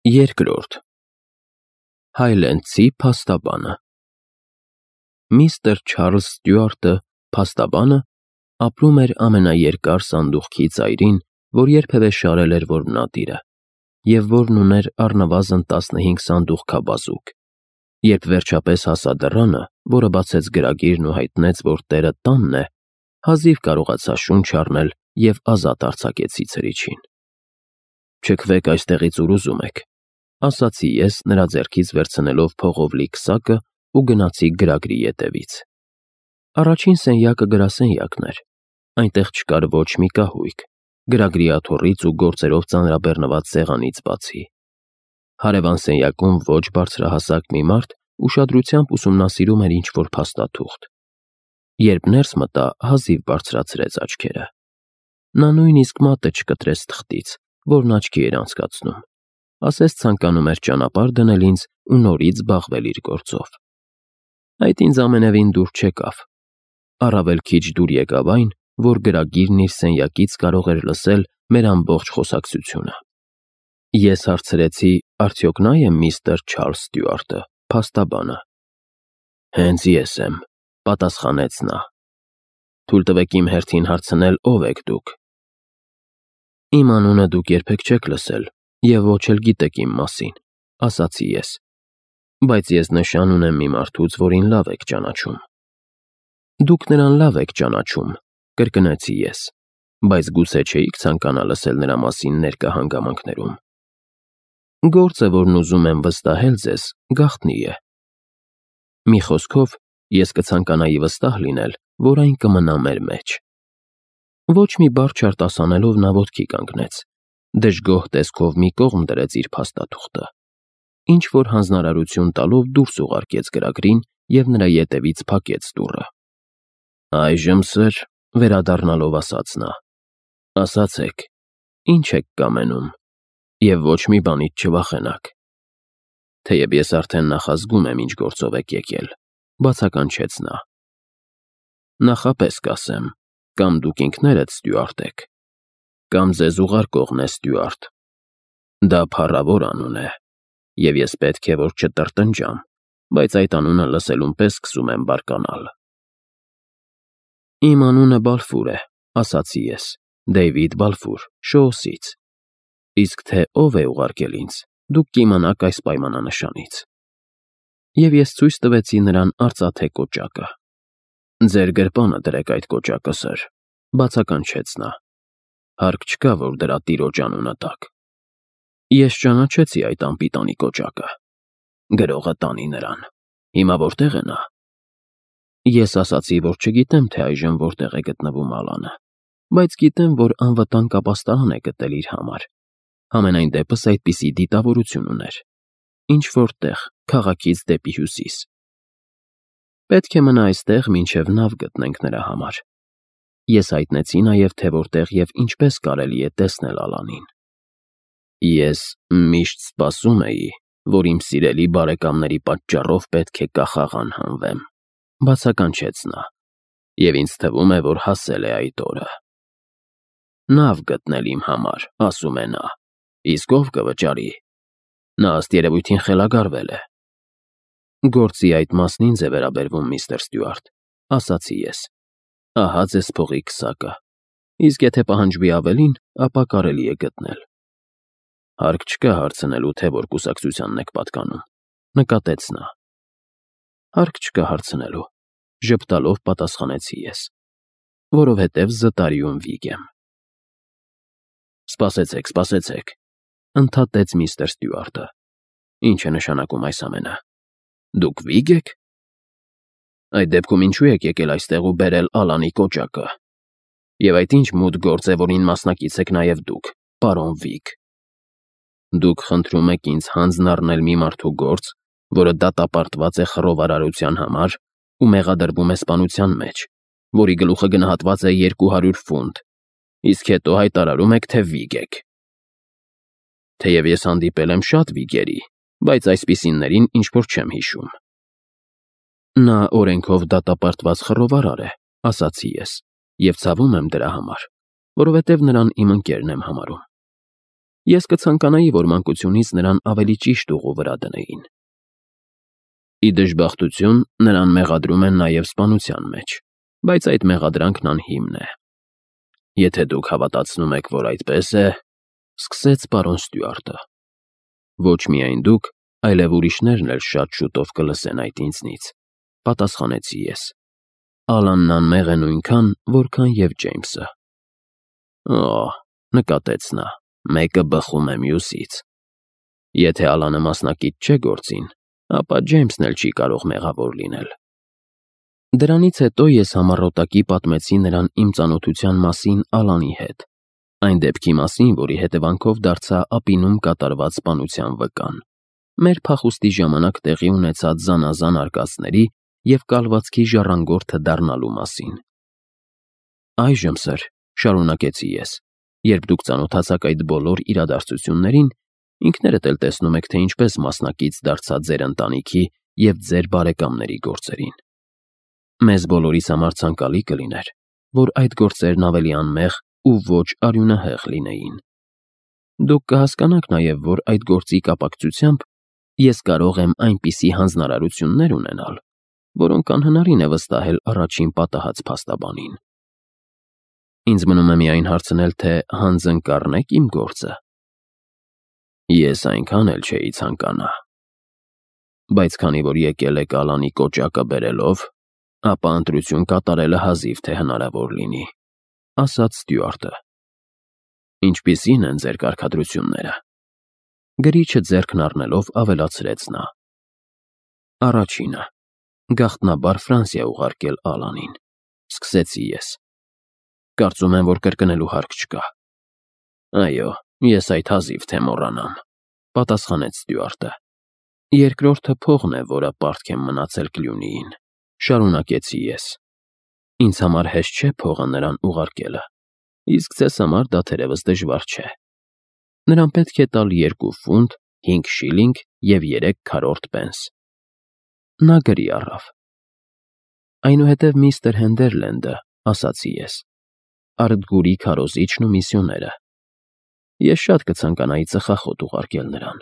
Երկրորդ Հայլենդցի փաստաբանը Միստր Չարլզ Ստյուարտը, փաստաբանը, ապրում էր ամենաերկար սանդուղքի ծայրին, որ երբևէ շարել էր որմնատիրը, և որն ուներ առնվազն 15 սանդուղքաբազուկ։ Երբ վերջապես հասա դռանը, որը բացեց գրագիրն ու հայտնեց, որ տերը տանն է, հազիվ կարողացա շունչ առնել և ազատ արձակեցի ցրիչին։ «Չքվեք այստեղից ուր ուզում եք», ասացի ես, նրա ձեռքից վերցնելով փողով լի քսակը ու գնացի գրագրի ետևից։ Առաջին սենյակը գրասենյակն էր, այնտեղ չկար ոչ մի կահույք, գրագրի աթոռից ու գործերով ծանրաբեռնված սեղանից բացի։ Հարևան սենյակում ոչ բարձրահասակ մի մարդ ուշադրությամբ ուսումնասիրում էր ինչ-որ փաստաթուղթ։ Երբ ներս մտա, հազիվ բարձրացրեց աչքերը։ Նա նույնիսկ մատը չկտրեց թղթից, որն աչքի էր անցկացնում, ասես ցանկանում էր ճանապարհ դնել ինձ ու նորից զբաղվել իր գործով։ Այդ ինձ ամենևին դուր չեկավ։ Առավել քիչ դուր եկավ այն, որ գրագիրն իր սենյակից կարող էր լսել մեր ամբողջ խոսակցությունը։ Ես հարցրեցի, արդյոք նա է միստր Չարլզ Ստյուարտը, փաստաբանը։ «Հենց ես եմ», պատասխանեց նա։ «Թույլ տվեք իմ հերթին հարցնել, ով եք դուք»։ «Իմ անունը դուք երբեք չեք լսել և ոչ էլ գիտեք իմ մասին», ասացի ես, «բայց ես նշան ունեմ մի մարդուց, որին լավ եք ճանաչում»։ «Դուք նրան լավ եք ճանաչում», կրկնեցի ես, «բայց գուցե չէիք ցանկանա լսել նրա մասին ներկա հանգամանքներում»։ «Գործը, որն ուզում եմ վստահել ձեզ, գաղտնի է։ Մի խոսքով, ես կցանկանայի վստահ լինել, որ այն կմնա մեր մեջ»։ Ոչ մի բառ չարտասանելով նա ոտքի կանգնեց, դժգոհ տեսքով մի կողմ դրեց իր փաստաթուղթը, ինչ-որ հանձնարարություն տալով դուրս ուղարկեց գրագրին և նրա ետևից փակեց դուռը։ «Այժմ, սըր», վերադառնալով ասաց նա, «ասացեք, ինչ եք կամենում, և ոչ մի բանից չվախենաք»։ «Թեև ես արդեն նախազգում եմ, ինչ գործով եք եկել», բացականչեց նա։ «Նախապես կասեմ, կամ դուք ինքներդ Ստյուարտ եք, կամ ձեզ ուղարկողն է Ստյուարտ։ Դա փառավոր անուն է, և ես պետք է որ չտրտնջամ, բայց այդ անունը լսելուն պես սկսում եմ բարկանալ»։ «Իմ անունը Բալֆուր է», ասացի ես, «Դեյվիդ Բալֆուր, Շոուսից։ Իսկ թե ով է ուղարկել ինձ, դուք կիմանաք այս պայմանանշանից»։ Եվ ես ցույց տվեցի նրան արծաթե կոճակը։ «Ձեր գրպանը դրեք այդ կոճակը, սըր», բացականչեց նա։ «Հարկ չկա, որ դրա տիրոջ անունը տաք»։ Ես ճանաչեցի այդ անպիտանի կոճակը։ «Գրողը տանի նրան։ Հիմա որտե՞ղ է նա»։ Ես ասացի, որ չգիտեմ, թե այժմ որտեղ է գտնվում Ալանը, բայց գիտեմ, որ անվտանգ ապաստարան է գտել իր համար։ Համենայն դեպս այդպիսի դիտավորություն ուներ։ Ինչ-որ տեղ, քաղաքից դեպի հյուսիս։ Պետք է մնա այստեղ, մինչև նավ գտնենք նրա համար։ Ես հայտնեցի նաև, թե որտեղ և ինչպես կարելի է տեսնել Ալանին։ «Ես միշտ սպասում էի, որ իմ սիրելի բարեկամների պատճառով պետք է կախաղ անհանվեմ», բացականչեց նա, «և ինձ թվում է, որ հասել է այդ օրը։ Նավ գտնել իմ համար, ասում է նա, իսկ ով կվճարի։ Նա ըստ երևույթին խելագարվել է»։ «Գործի այդ մասն ինձ է վերաբերվում, միստր Ստյուարտ», ասացի ես։ «Ահա ձեզ փողի քսակը, իսկ եթե պահանջվի ավելին, ապա կարելի է գտնել»։ «Հարկ չկա հարցնելու, թե որ կուսակցությանն եք պատկանում», նկատեց նա։ «Հարկ չկա հարցնելու», ժպտալով պատասխանեցի ես, «որովհետև զտարիում վիկ եմ»։ «Սպասեցեք, սպասեցեք», ընդհատեց միստր Ստյուարտը։ «Ինչ է նշանակում այս ամենը։ Դուք վի՞գ եք։ Այդ դեպքում ինչու եք եկել այստեղ ու բերել Ալանի կոճակը։ Եվ այդ ինչ մութ գործ է, որին մասնակից եք նաև դուք, պարոն Վիգ։ Դուք խնդրում եք ինձ հանձն առնել մի մարդու գործ, որը դատապարտված է խռովարարության համար ու մեղադրվում է սպանության մեջ, որի գլուխը գնահատված է 200 ֆունտ, իսկ հետո հայտարարում եք, թե վիգ եք։ Թեև ես հանդիպել եմ շատ վիգերի, բայց այսպիսիներին ինչ-որ չեմ հիշում»։ «Նա օրենքով դատապարտված խռովարար է», ասացի ես, «և ցավում եմ դրա համար, որովհետև նրան իմ ընկերն եմ համարում»։ Ես կցանկանայի, որ մանկությունից նրան ավելի ճիշտ ուղու վրա դնեին։ Ի դժբախտություն, նրան մեղադրում են նաև սպանության մեջ, բայց այդ մեղադրանքն անհիմն է։ Եթե դուք հավատացնում եք, որ այդպես է, սկսեց պարոն Ստյուարտը։ Ոչ միայն դուք, այլև ուրիշներն էլ շատ շուտով կլսեն այդ ինձնից, պատասխանեցի ես։ Ալանն անմեղ է նույնքան, որքան և Ջեյմսը։ Օ, նկատեց նա, մեկը բխում է մյուսից։ Եթե Ալանը մասնակից չէ գործին, ապա Ջեյմսն էլ չի կարող մեղավոր լինել։ Դրանից հետո ես համառոտակի պատմեցի նրան իմ ծանոթության մասին Ալանի հետ, այն դեպքի մասին, որի հետևանքով դարձա ափինում կատարված սպանության վկան, մեր փախուստի ժամանակ տեղի ունեցած զանազան արկածների և կալվածքի ժառանգորդը դառնալու մասին։ Այժմ, սըր, շարունակեցի ես, երբ դուք ծանոթացաք այդ բոլոր իրադարձություններին, ինքներդ էլ տեսնում եք, թե ինչպես մասնակից դարձա ձեր ընտանիքի և ձեր բարեկամների գործերին։ Մեզ բոլորիս համար ցանկալի կլիներ, որ այդ գործերն ավելի անմեղ ու ոչ արյունահեղ լինեին։ Դուք կհասկանաք նաև, որ այդ գործի կապակցությամբ ես կարող եմ այնպիսի հանձնարարություններ ունենալ, որոնք անհնարին է վստահել առաջին պատահած փաստաբանին։ Ինձ մնում է միայն հարցնել, թե հանձն կառնեք իմ գործը։ Ես այնքան էլ չէի ցանկանա։ Բայց քանի որ եկել եք Ալանի կոճակը բերելով, ապա ընտրություն կատարելը հազիվ թե հնարավոր լինի, ասաց Ստյուարտը։ Ինչպիսի՞ն են ձեր կարգադրությունները։ Գրիչը ձեռքն առնելով ավելացրեց նա։ Առաջինը, գաղտնաբար Ֆրանսիա ուղարկել Ալանին, սկսեցի ես։ Կարծում եմ, որ կրկնելու հարկ չկա։ Այո, ես այդ հազիվ թե մոռանամ, պատասխանեց Ստյուարտը։ Երկրորդը փողն է, որը պարտք եմ մնացել Կլյունիին, շարունակեցի ես։ Ինձ համար հեշտ չէ փողը նրան ուղարկելը, իսկ ձեզ համար դա թերևս դժվար չէ։ Նրան պետք է տալ 2 ֆունտ, 5 շիլինգ և 3 քառորդ պենս։ Նա գրի առավ։ Այնուհետև միստր Հենդերլենդը, ասացի ես, Արտգուրի քարոզիչն ու միսիոները։ Ես շատ կցանկանայի ծխախոտ ուղարկել նրան։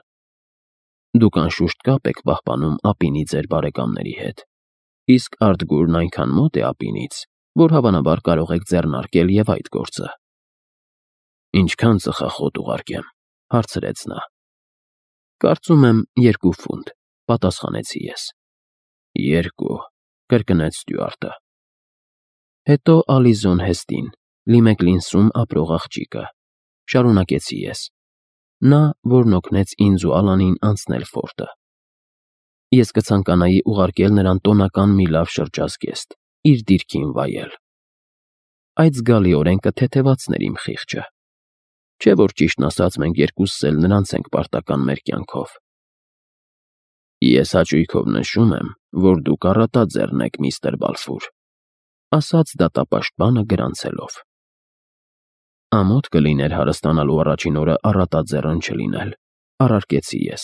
Դուք անշուշտ կապ եք պահպանում ափինի ձեր բարեկամների հետ, իսկ Արտգուրն այնքան մոտ է ափինից, որ հավանաբար կարող եք ձեռնարկել և այդ գործը։ Ինչքան ծխախոտ ուղարկեմ, հարցրեց նա։ Կարծում եմ 2 ֆունտ, պատասխանեցի ես։ 2, կրկնեց Ստյուարտը։ Հետո Ալիզոն Հեստին, Լիմեկլինսում ապրող աղջիկը, շարունակեցի ես։ Նա, որն օգնեց ինձ ու Ալանին անցնել ֆորտը։ Ես կցանկանայի ուղարկել նրան տոնական մի լավ շրջազգեստ, իր դիրքին վայել։ Այդ զգալիորեն կթեթևացներ իմ խիղճը։ Չէ՞ որ ճիշտն ասած մենք երկուսս էլ նրանց ենք պարտական մեր կյանքով։ Ես հաճույքով նշում եմ, որ դուք առատաձեռն եք, միստր Բալֆուր, ասաց դատապաշտպանը գրանցելով։ Ամոթ կլիներ հարստանալու առաջին օրը առատաձեռն չլինել, առարկեցի ես։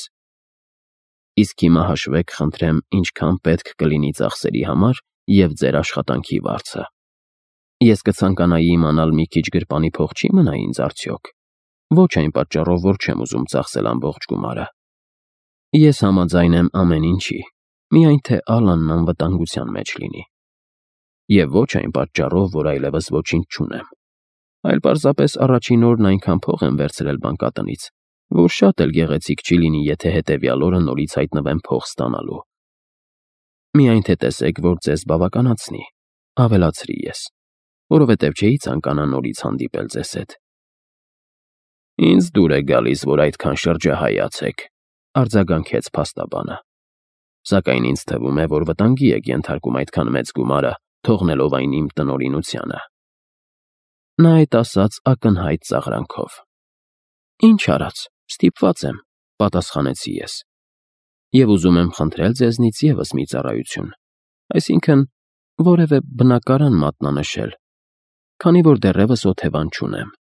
Իսկ հիմա հաշվեք, խնդրեմ, ինչքան պետք կլինի ծախսերի համար և ձեր աշխատանքի վարձը։ Ես կցանկանայի իմանալ մի քիչ գրպանի փող չի մնա ինձ արդյոք։ Ոչ այն պատճառով, որ չեմ ուզում ծախսել ամբողջ գումարը։ Ես համաձայն եմ ամեն ինչի, միայն թե Ալանն անվտանգության մեջ լինի։ Եվ ոչ այն պատճառով, որ այլևս ոչինչ չունեմ, այլ պարզապես առաջին օրն այնքան փող եմ վերցրել բանկատնից, որ շատ էլ գեղեցիկ չի լինի, եթե հետևյալ օրը նորից հայտնվեմ փող ստանալու։ Միայն թե տեսեք, որ ձեզ բավականացնի, ավելացրի ես, որովհետև չէի ցանկանա նորից հանդիպել ձեզ հետ։ Ինձ դուր է գալիս, որ այդքան շրջահայաց եք, արձագանքեց փաստաբանը։ Սակայն ինձ թվում է, որ վտանգի եք ենթարկում այդքան մեծ գումարը, թողնելով այն իմ տնօրինությանը։ Նա այդ ասաց ակնհայտ ծաղրանքով։ Ինչ արած, ստիպված եմ, պատասխանեցի ես։ Եվ ուզում եմ խնդրել ձեզնից ևս մի ծառայություն, այսինքն որևէ բնակարան մատնանշել, քանի որ դեռևս օթևան չունեմ։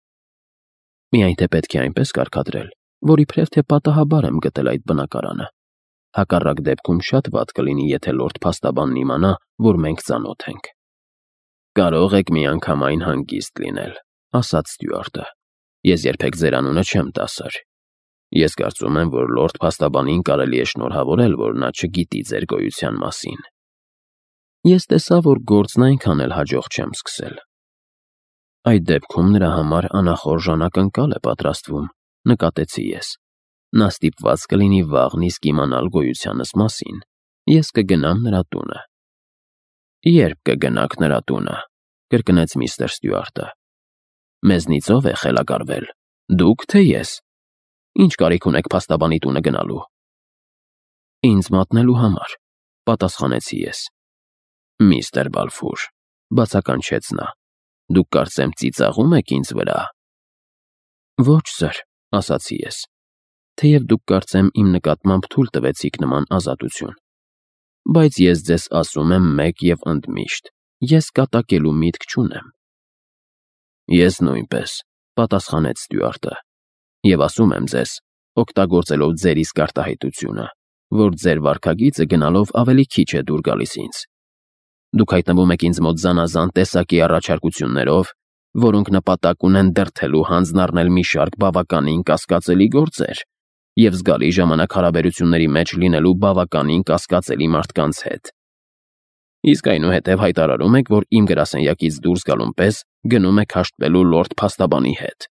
Միայն թե պետք է այնպես կարգադրել, որ իբրև թե պատահաբար եմ գտել այդ բնակարանը։ Հակառակ դեպքում շատ վատ կլինի, եթե լորդ փաստաբանն իմանա, որ մենք ծանոթ ենք։ Կարող եք միանգամայն հանգիստ լինել, ասաց Ստյուարտը։ Ես երբեք ձեր անունը չեմ տա, սըր։ Ես կարծում եմ, որ լորդ փաստաբանին կարելի է շնորհավորել, որ նա չգիտի ձեր գոյության մասին։ Ես տեսա, որ գործն այնքան էլ հաջող չեմ սկսել։ Այդ դեպքում նրա համար անախորժ անակնկալ է պատրաստվում, նկատեցի ես։ Նա ստիպված կլինի վաղն իսկ իմանալ գոյությանս մասին։ Ես կգնամ նրա տունը։ Երբ կգնաք նրա տունը, կրկնեց միստր Ստյուարտը։ Մեզնից ով է խելագարվել, դուք թե ես։ Ինչ կարիք ունեք փաստաբանի տունը գնալու։ Ինձ մատնելու համար, պատասխանեցի ես։ Միստր Բալֆուր, բացականչեց նա, դուք կարծեմ ծիծաղում եք ինձ վրա։ Ոչ, սըր, ասացի ես, թեև դուք կարծեմ իմ նկատմամբ թույլ տվեցիք նման ազատություն։ Բայց ես ձեզ ասում եմ մեկ և ընդմիշտ, ես կատակելու միտք չունեմ։ Ես նույնպես, պատասխանեց Ստյուարտը, և ասում եմ ձեզ, օգտագործելով ձեր իսկ արտահայտությունը, որ ձեր վարքագիծը գնալով ավելի քիչ է դուր գալիս ինձ։ Դուք հայտնվում եք ինձ մոտ զանազան տեսակի առաջարկություններով, որոնք նպատակ ունեն դրդելու հանձն առնել մի շարք բավականին կասկածելի գործեր և զգալի ժամանակ հարաբերությունների մեջ լինելու բավականին կասկածելի մարդկանց հետ։ Իսկ այնուհետև հայտարարում եք, որ իմ գրասենյակից դուրս գալուն պես գնում եք հաշտվելու լորդ փաստաբանի հետ։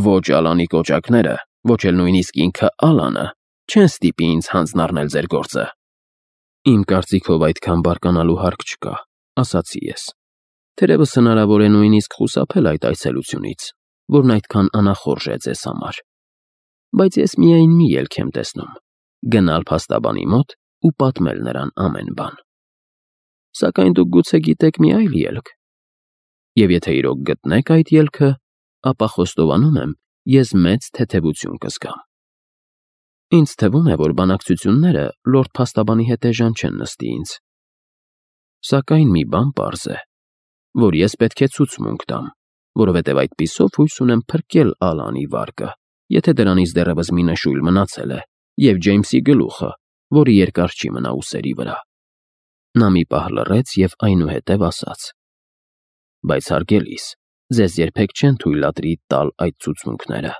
Ոչ Ալանի կոճակները, ոչ էլ նույնիսկ ինքը Ալանը չեն ստիպի ինձ հանձն առնել ձեր գործը։ Իմ կարծիքով այդքան բարկանալու հարկ չկա, ասացի ես։ Թերևս հնարավոր է նույնիսկ խուսափել այդ այցելությունից, որն այդքան անախորժ է ձեզ համար։ Բայց ես միայն մի ելք եմ տեսնում՝ գնալ փաստաբանի մոտ ու պատմել նրան ամեն բան։ Սակայն դուք գուցե գիտեք մի այլ ելք։ Եվ եթե իրոք գտնեք այդ ելքը, ապա խոստովանում եմ, ես մեծ թեթևություն կզգամ։ Ինձ թվում է, որ բանակցությունները լորդ փաստաբանի հետ էժան չեն նստի ինձ։ Սակայն մի բան պարզ է, որ ես պետք է ցուցմունք տամ, որովհետև այդպիսով հույս ունեմ փրկել Ալանի վարկը, եթե դրանից դեռևս մի նշույլ մնացել է, և Ջեյմսի գլուխը, որը երկար չի մնա ուսերի վրա։ Նա մի պահ լռեց և այնուհետև ասաց. Բայց հարգելիս, ձեզ երբեք չեն թույլատրի տալ այդ ցուցմունքները։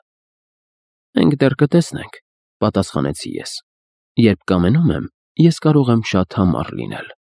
Մենք դեռ կտեսնենք, պատասխանեցի ես։ Երբ կամենում եմ, ես կարող եմ շատ համառ լինել։